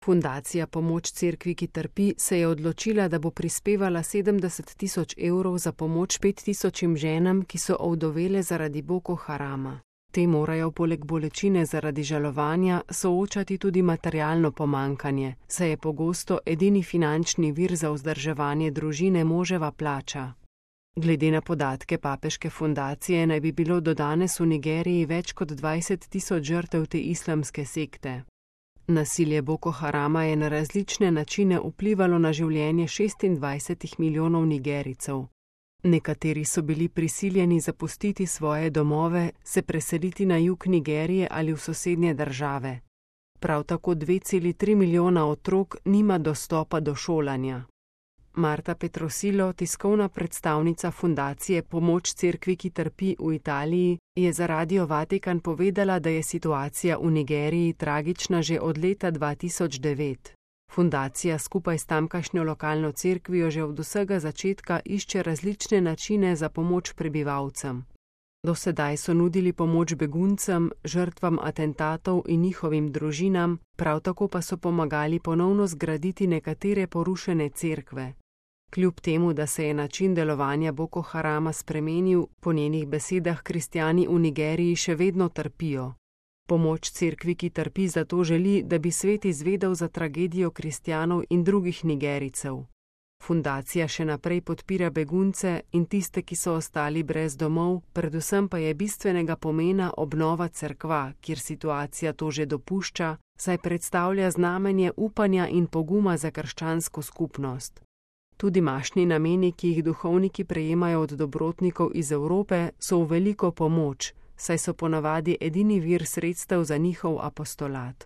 Fundacija Pomoč cerkvi, ki trpi, se je odločila, da bo prispevala 70 000 evrov za pomoč 5000 ženam, ki so ovdovele zaradi Boko Harama. Te morajo poleg bolečine zaradi žalovanja soočati tudi materialno pomankanje, saj je pogosto edini finančni vir za vzdrževanje družine moževa plača. Glede na podatke papeške fundacije naj bi bilo do danes v Nigeriji več kot 20 000 žrtev te islamske sekte. Nasilje Boko Harama je na različne načine vplivalo na življenje 26 milijonov Nigerijcev. Nekateri so bili prisiljeni zapustiti svoje domove, se preseliti na jug Nigerije ali v sosednje države. Prav tako 2,3 milijona otrok nima dostopa do šolanja. Marta Petrosilo, tiskovna predstavnica fundacije Pomoč cerkvi, ki trpi v Italiji, je za Radio Vatikan povedala, da je situacija v Nigeriji tragična že od leta 2009. Fundacija skupaj s tamkajšnjo lokalno cerkvijo že od vsega začetka išče različne načine za pomoč prebivalcem. Do sedaj so nudili pomoč beguncem, žrtvam atentatov in njihovim družinam, prav tako pa so pomagali ponovno zgraditi nekatere porušene cerkve. Kljub temu, da se je način delovanja Boko Harama spremenil, po njenih besedah kristjani v Nigeriji še vedno trpijo. Pomoč cerkvi, ki trpi, zato želi, da bi svet izvedel za tragedijo kristjanov in drugih Nigerijcev. Fundacija še naprej podpira begunce in tiste, ki so ostali brez domov, predvsem pa je bistvenega pomena obnova cerkva, kjer situacija to že dopušča, saj predstavlja znamenje upanja in poguma za krščansko skupnost. Tudi mašni nameni, ki jih duhovniki prejemajo od dobrotnikov iz Evrope, so v veliko pomoč, saj so ponavadi edini vir sredstev za njihov apostolat.